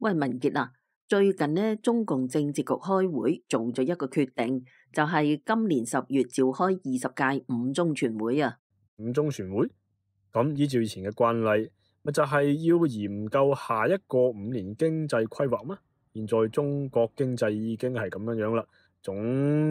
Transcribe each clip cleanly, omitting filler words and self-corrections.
喂，文傑啊，最近呢，中共政治局開會做咗一個決定，就係今年10月召開20屆五中全會啊。五中全會咁依照以前嘅慣例，咪就係要研究下一個5年經濟規劃咩？現在中國經濟已經係咁樣啦，總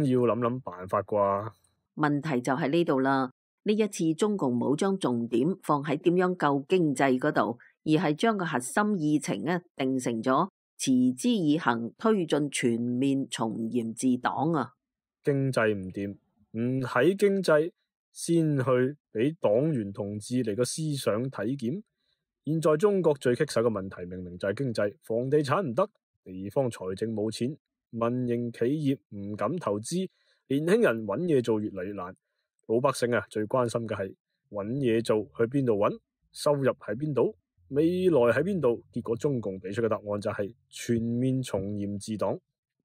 要諗諗辦法啩。問題就喺呢度啦，呢一次中共冇將重點放喺點樣救經濟嗰度，而係將個核心議程呢定成咗持之以恆推進全面從嚴治黨啊。經濟唔掂，唔喺經濟先去俾黨員同志嚟個思想體檢。現在中國最棘手嘅問題明明就係經濟，房地產唔得，地方財政冇錢，民營企業唔敢投資，年輕人揾嘢做越嚟越難。老百姓最關心嘅係揾嘢做去邊度揾，收入喺邊度，未來喺邊度。結果中共俾出嘅答案就係全面從嚴治黨。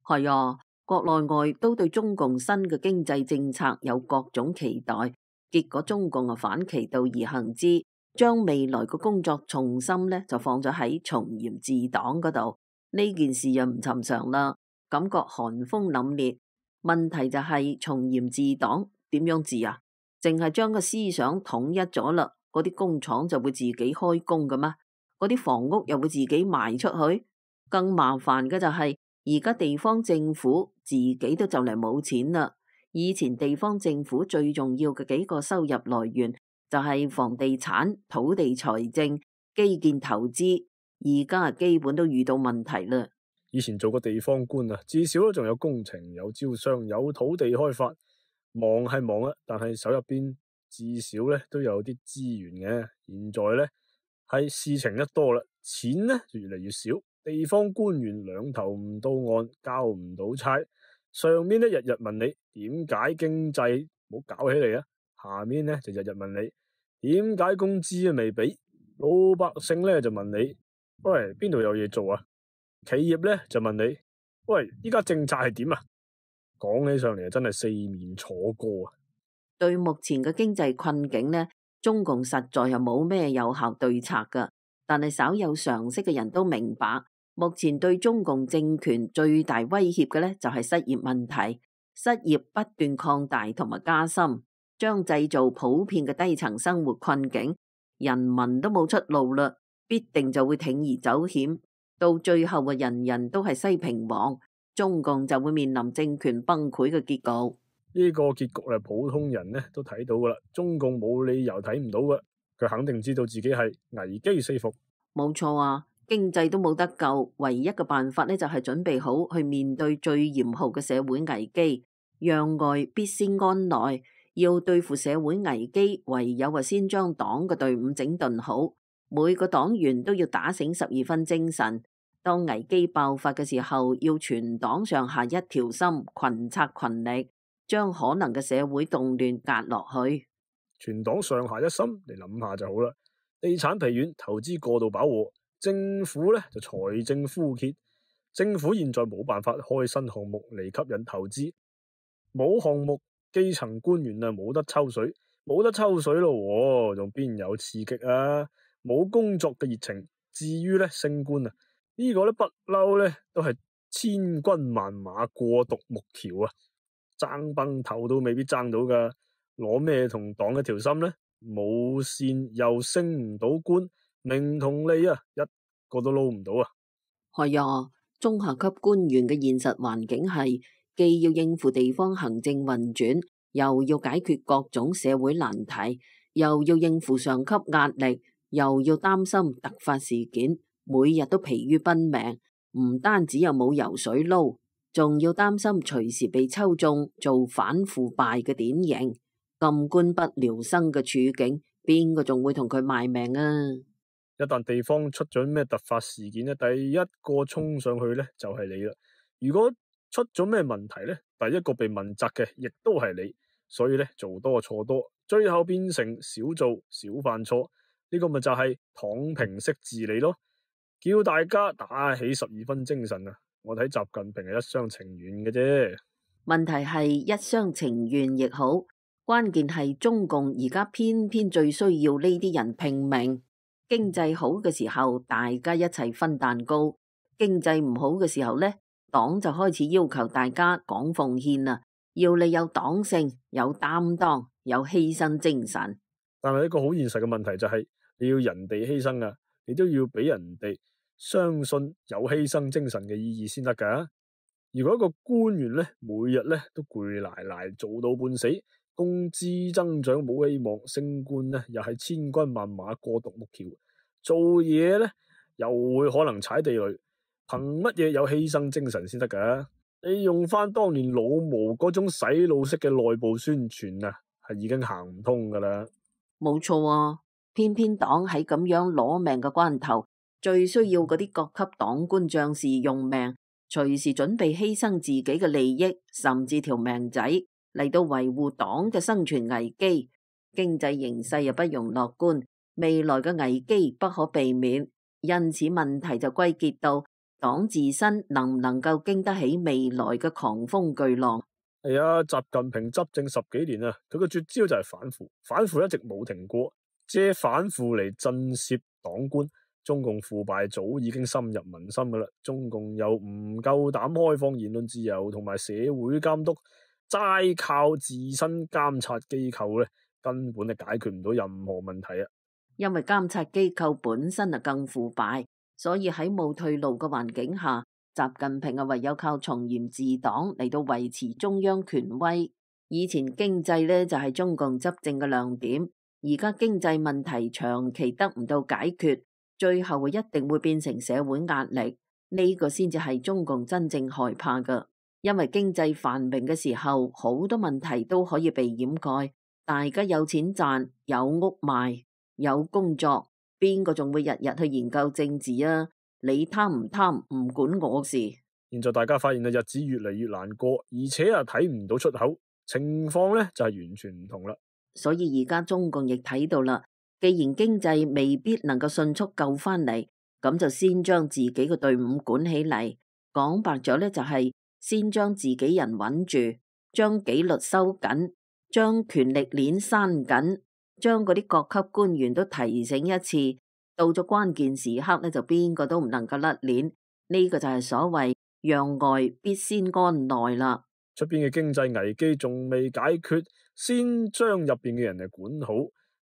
係啊，國內外都對中共新嘅經濟政策有各種期待，結果中共反其道而行之，將未來嘅工作重心呢就放咗喺從嚴治黨嗰度。呢件事又唔尋常啦，感覺寒風凜冽。問題就係從嚴治黨點樣治啊？淨係將個思想統一咗啦，嗰啲工廠就會自己開工㗎嘛？嗰啲房屋又會自己賣出去？更麻煩嘅就係而家地方政府自己都就嚟冇錢啦。以前地方政府最重要嘅幾個收入來源就係房地產、土地財政、基建投資，而家基本都遇到問題啦。以前做個地方官至少都仲有工程、有招商、有土地開發，忙係忙但係手入邊至少都有啲資源嘅。現在係事情一多啦，錢就越嚟越少，地方官員兩頭唔到岸，交唔到差。上面日日問你點解經濟冇搞起嚟啊，下面就日日問你點解工資未俾，老百姓就問你喂，邊度有嘢做啊？企業就問你喂，依家政策係點啊？講起上嚟真係四面楚歌啊！對目前嘅經濟困境呢，中共實在係冇咩有效對策噶。但係稍有常識嘅人都明白，目前對中共政權最大威脅嘅呢，就係失業問題。失業不斷擴大同埋加深，將製造普遍嘅低層生活困境，人民都冇出路啦，必定就會鋌而走險。到最後人人都係西平王，中共就會面臨政權崩潰嘅結局。呢個結局普通人都睇到噶啦，中共冇理由睇唔到噶，佢肯定知道自己係危機四伏。冇錯啊，經濟都冇得救，唯一嘅辦法呢，就係準備好去面對最嚴酷嘅社會危機。攘外必先安內，要對付社會危機，唯有先將黨嘅隊伍整頓好，每個黨員都要打醒12分精神。當危機爆發嘅時候，要全黨上下一條心，群策群力，將可能嘅社會動亂壓落去。全黨上下一心，你諗下就好啦。地產疲軟，投資過度飽和，政府就財政枯竭。政府現在冇辦法開新項目嚟吸引投資，冇項目，基層官員冇得抽水，冇得抽水咯，仲邊有刺激啊？冇工作嘅熱情。至於升官呢個不嬲都係千軍萬馬過獨木橋啊，爭崩頭都未必爭到噶，攞咩同黨一條心呢？冇線又升唔到官，名同利一個都撈唔到啊！係啊，中下級官員嘅現實環境係既要應付地方行政運轉，又要解決各種社會難題，又要應付上級壓力，又要擔心突發事件。每日都疲於奔命，唔單止有冇油水撈，仲要擔心隨時被抽中做反腐敗嘅典型，咁官不聊生嘅處境，邊個仲會同佢賣命啊？一旦地方出咗咩突發事件第一個衝上去就係你啦。如果出咗咩問題第一個被問責嘅亦都係你，所以做多錯多，最後變成少做少犯錯，呢個咪就係躺平式治理咯。叫大家打起12分精神啊！我睇習近平係一廂情願嘅啫。問題係一廂情願亦好，關鍵係中共而家偏偏最需要呢啲人拼命。經濟好嘅時候，大家一齊分蛋糕；經濟唔好嘅時候呢，黨就開始要求大家講奉獻啦，要你有黨性、有擔當、有犧牲精神。但係一個好現實嘅問題就係，你要人哋犧牲啊，你都要俾人哋相信有犧牲精神嘅意義先得噶。如果一個官員呢，每日呢都攰賴賴做到半死，工資增長冇希望，升官呢又係千軍萬馬過獨木橋，做嘢呢又會可能踩地雷，憑乜嘢有犧牲精神先得噶？你用翻當年老毛嗰種洗腦式嘅內部宣傳啊，係已經行唔通噶啦。冇錯啊，偏偏黨喺咁樣攞命嘅關頭，最需要嗰啲各級黨官將士用命，隨時準備犧牲自己嘅利益，甚至條命仔嚟到維護黨嘅生存危機。經濟形勢又不容樂觀，未來嘅危機不可避免，因此問題就歸結到黨自身能唔能夠經得起未來嘅狂風巨浪。係啊，習近平執政10幾年啊，佢個絕招就係反腐，反腐一直冇停過，借反腐嚟震懾黨官。中共腐敗早已經深入民心噶啦，中共又唔夠膽開放言論自由同埋社會監督，齋靠自身監察機構咧，根本係解決唔到任何問題啊！因為監察機構本身更腐敗，所以喺冇退路嘅環境下，習近平唯有靠從嚴治黨嚟到維持中央權威。以前經濟呢就係中共執政嘅亮點，而家經濟問題長期得唔到解決，最後一定會變成社會壓力。呢個先至係中共真正害怕嘅，因為經濟繁榮嘅時候，好多問題都可以被掩蓋，大家有錢賺，有屋賣，有工作，邊個仲會日日去研究政治啊？你貪唔貪唔管我事。現在大家發現日子越嚟越難過，而且睇唔到出口，情況呢就係完全唔同啦。所以而家中共亦睇到啦，既然經濟未必能夠迅速救翻嚟，咁就先將自己嘅隊伍管起嚟。講白咗呢，就係先將自己人穩住，將紀律收緊，將權力鏈閂緊，將嗰啲各級官員都提醒一次。到咗關鍵時刻呢，就邊個都唔能夠甩鏈。呢個就係所謂讓外必先安內啦。出邊嘅經濟危機仲未解決，先將入邊嘅人嚟管好。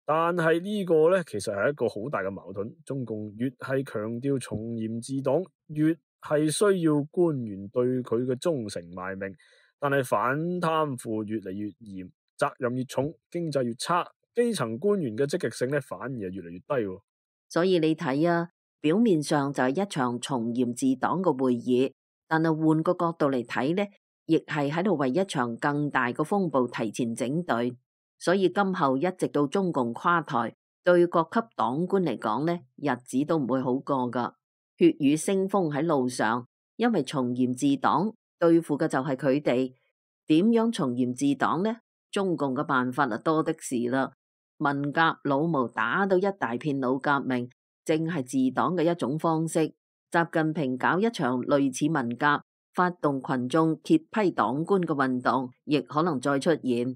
但係呢個呢，其實係一個好大嘅矛盾。中共越係強調從嚴治黨，越係需要官員對佢嘅忠誠賣命。但係反貪腐越嚟越嚴，責任越重，經濟越差，基層官員嘅積極性呢，反而係越嚟越低。所以你睇啊，表面上就係一場從嚴治黨嘅會議，但係換個角度嚟睇呢，亦係喺度為一場更大嘅風暴提前整隊。所以今後一直到中共垮台，對各級黨官嚟講呢，日子都唔會好過噶，血雨腥風喺路上。因為從嚴治黨對付嘅就係佢哋，點樣從嚴治黨呢？中共嘅辦法多的是啦。文革老毛打到一大片老革命，正係治黨嘅一種方式。習近平搞一場類似文革，發動群眾揭批黨官嘅運動，亦可能再出現。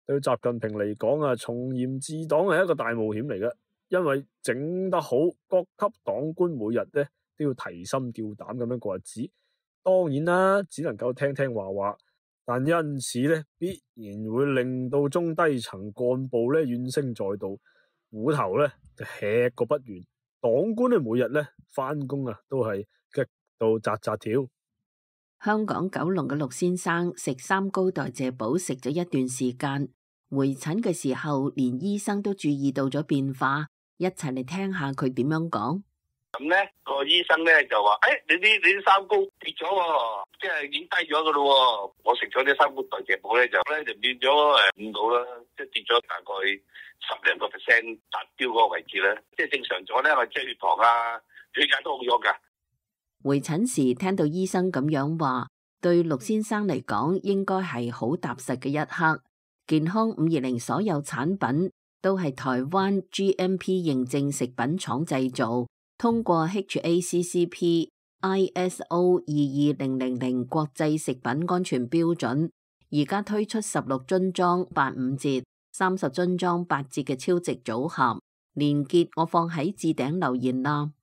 對習近平嚟講啊，從嚴治黨係一個大冒險嚟嘅，因為整得好，各級黨官每日呢都要提心吊膽咁樣過日子。當然啦，只能夠聽聽話話。但因此呢，必然會令到中低層幹部呢怨聲載道，虎頭呢就吃個不完。黨官呢每日呢返工啊，都係激到扎扎跳。香港九龍嘅陸先生食三高代謝寶食咗一段時間，回診嘅時候，連醫生都注意到咗變化。一齊嚟聽下佢點樣講。咁咧個醫生咧就話：你啲三高跌咗喎，即係已經低咗噶咯。我食咗啲三高代謝寶咧就變咗5度啦，即係跌咗大概10%達標嗰個位置咧，即係正常咗咧。我即係血糖啊、血壓都好咗噶。回診時聽到醫生咁樣話，對陸先生嚟講應該係好踏實嘅一刻。健康520所有產品都係台灣 GMP 認證食品廠製造，通過 HACCP ISO 22000國際食品安全標準，而家推出16樽裝85折、30樽裝8折嘅超值組合，連結我放喺置頂留言啦。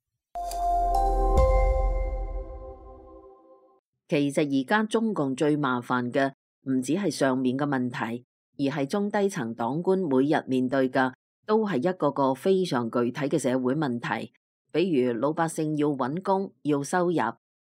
其實而家中共最麻煩嘅唔止係上面嘅問題，而係中低層黨官每日面對嘅都係一個個非常具體嘅社會問題。比如老百姓要揾工、要收入，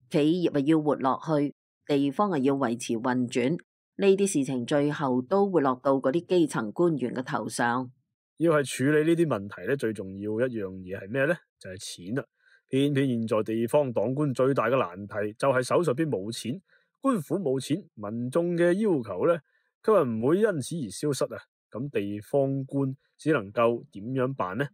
企業要活落去，地方要維持運轉，呢啲事情最後都會落到嗰啲基層官員嘅頭上。要係處理呢啲問題咧，最重要一樣嘢係咩呢？就係錢啦。偏偏現在地方黨官最大嘅難題就係手上邊冇錢，官府冇錢，民眾嘅要求咧，佢話唔會因此而消失啊。咁地方官只能夠點樣辦呢？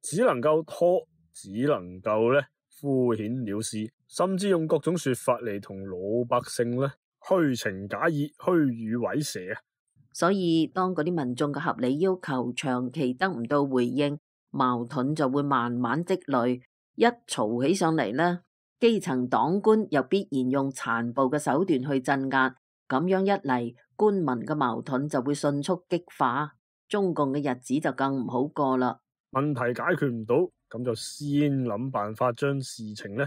只能夠拖，只能夠咧敷衍了事，甚至用各種說法嚟同老百姓咧虛情假意、虛與委蛇啊！所以當嗰啲民眾嘅合理要求長期得唔到回應，矛盾就會慢慢積累。一嘈起上嚟呢，基層黨官又必然用殘暴嘅手段去鎮壓，咁樣一嚟，官民嘅矛盾就會迅速激化，中共嘅日子就更唔好過啦。問題解決唔到，咁就先諗辦法將事情呢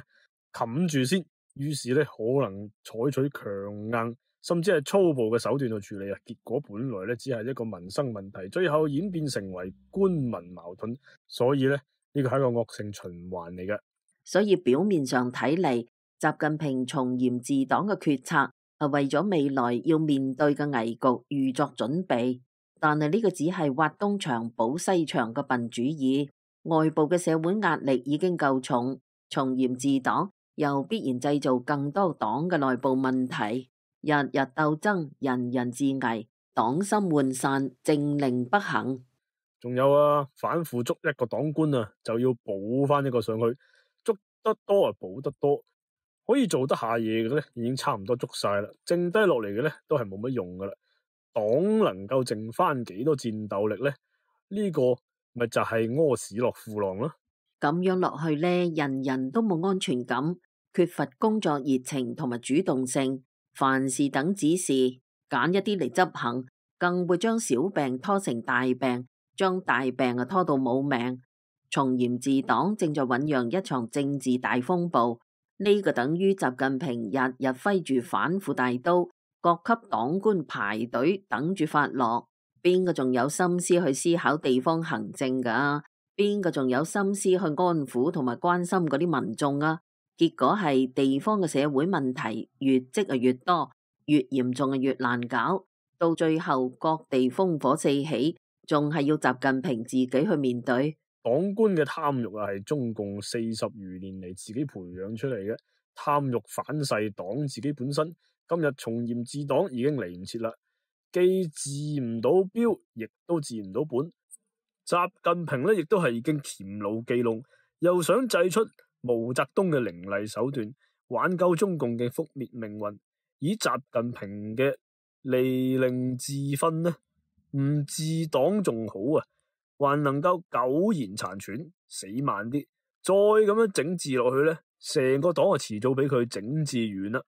冚住先，於是呢，可能採取強硬甚至係粗暴嘅手段去處理啊。結果本來呢，只係一個民生問題，最後演變成為官民矛盾，所以呢，呢個係一個惡性循環嚟嘅。所以表面上睇嚟，習近平從嚴治黨嘅決策係為咗未來要面對嘅危局預作準備，但係呢個只係挖東牆補西牆嘅笨主意。外部嘅社會壓力已經夠重，從嚴治黨又必然製造更多黨嘅內部問題，日日鬥爭，人人自危，黨心渙散，政令不行。仲有啊，反腐捉一個黨官啊，就要補翻一個上去，捉得多啊，補得多，可以做得下嘢嘅咧，已經差唔多捉晒啦，剩低落嚟嘅咧都係冇乜用噶啦。黨能夠剩翻幾多戰鬥力咧？呢個咪就係屙屎落褲浪咯。咁樣落去咧，人人都冇安全感，缺乏工作熱情同埋主動性，凡事等指示，揀一啲嚟執行，更會將小病拖成大病，將大病拖到冇命。從嚴治黨正在醞釀一場政治大風暴，呢個等於習近平日日揮住反腐大刀，各級黨官排隊等住發落。邊個仲有心思去思考地方行政㗎？邊個仲有心思去安撫同埋關心嗰啲民眾啊？結果係地方嘅社會問題越積越多，越嚴重越難搞，到最後各地烽火四起，仲係要習近平自己去面對。黨官嘅貪欲啊，係中共40餘年嚟自己培養出嚟嘅。貪欲反噬黨自己本身，今日從嚴治黨已經嚟唔切啦，既治唔到標，亦都治唔到本。習近平呢，亦都係已經黔驢技窮，又想祭出毛澤東嘅凌厲手段，挽救中共嘅覆滅命運。以習近平嘅利令智分呢，唔治黨仲好啊，還能夠苟延殘喘，死慢啲，再咁樣整治落去呢，成個黨啊遲早俾佢整治完啦，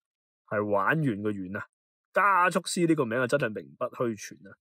係玩完嘅完啊！加速師呢個名啊，真係名不虛傳啊！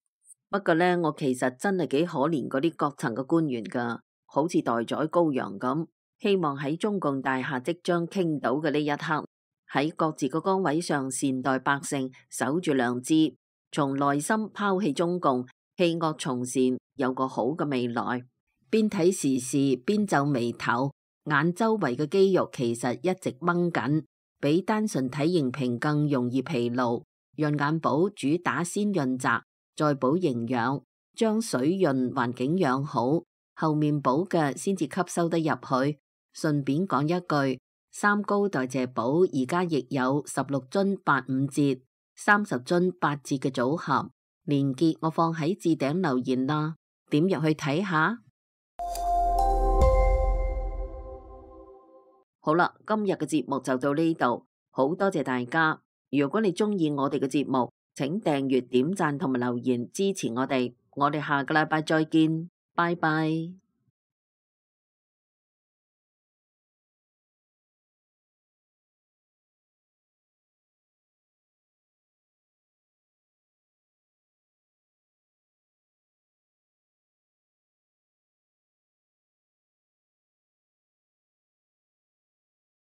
不過呢，我其實真係幾可憐嗰啲各層嘅官員噶，好似待宰羔羊咁，希望喺中共大廈即將傾倒嘅呢一刻，喺各自個崗位上善待百姓，守住良知，從內心拋棄中共，棄惡從善，有個好嘅未來。邊睇時事邊皺眉頭，眼周圍嘅肌肉其實一直掹緊，比單純睇熒屏更容易疲勞。潤眼寶主打先潤澤，再補營養，將水潤環境養好，後面補嘅先至吸收得入去。順便講一句，三高代謝寶而家亦有16樽85折、30樽8折嘅組合，連結我放喺置頂留言啦，點入去睇下。好啦，今日嘅節目就到呢度，好多謝大家。如果你中意我哋嘅節目，請訂閱、點讚同埋留言支持我哋。我哋下個禮拜再見，拜拜。